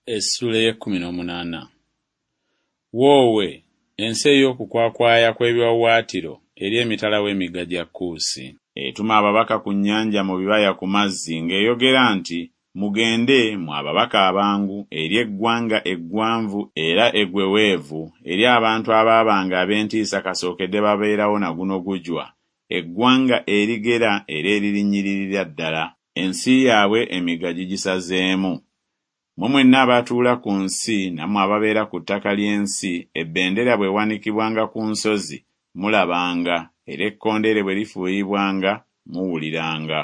Essuula ey'ekkumi n'omunaana. Woowe, ensi ey'okukwakwaya kw'ebiwaawaatiro eri emitala w'emigga gya Kuusi. Etuma ababaka ku nnyanja mu bibaya ku mazzi ng'eyogera nti Mugende, mmwe ababaka abangu, eri eggwanga eggwanvu era eggweweevu, eri abantu abaabanga ab'entiisa kasookedde babeerawo na guno gujwa, eggwanga erigera era eririnnyiririra ddala, ensi yaabwe emigga gigisazeemu. Mmwe mwenna abatuula ku nsi nammwe ababeera ku ttaka ly'ensi, ebendera bw'ewanikibwanga ku nsozi, mulabanga, era ekkondeere bwe lifuuyibwanga, muwuliranga.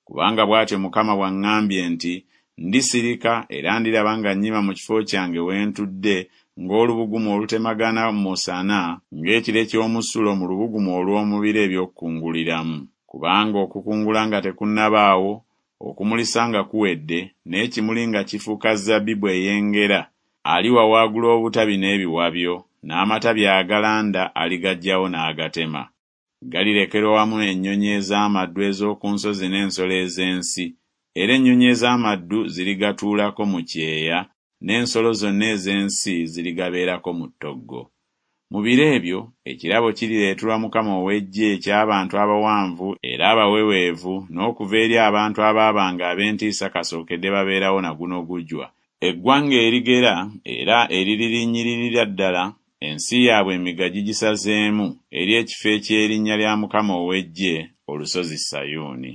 Kubanga bw'atyo Mukama bw'aŋŋambye nti, Ndisirika era ndiraba nga nnyima mu kifo kyange we ntudde ng'olubugumu olutemagana mu musana, ng'ekire ky'omusulo mu lubugumu olw'omu biro eby'okukunguliramu. Kubanga okukungula nga tekunnabaawo, okumulisa nga kuwedde, n'ekimuli nga kifuuka zabbibu eyengera, aliwawaagula obutabi n'ebiwabyo, n'amatabi agalanda aligaggyawo n'agatema. Galirekerwa wamu ennyonyi ez'amaddu ez'oku nsozi n'ensolo ez'ensi, era ennyonyi ez'amaddu zirigatuulako mu kyeya, n'ensolo zonna ez'ensi zirigabeerako mu ttoggo. Mu biro ebyo ekirabo kirireeterwa Mukama ow'eggye eky'abantu abawanvu era abaweweevu n'okuva eri abantu abaabanga ab'entiisa kasookedde babeerawo na guno gujwa, eggwanga erigera era eriririnnyiririra ddala, ensi yaabwe emigga gigisazeemu, eri ekifo eky'erinnya lya Mukama ow'eggye, olusozi Sayuuni.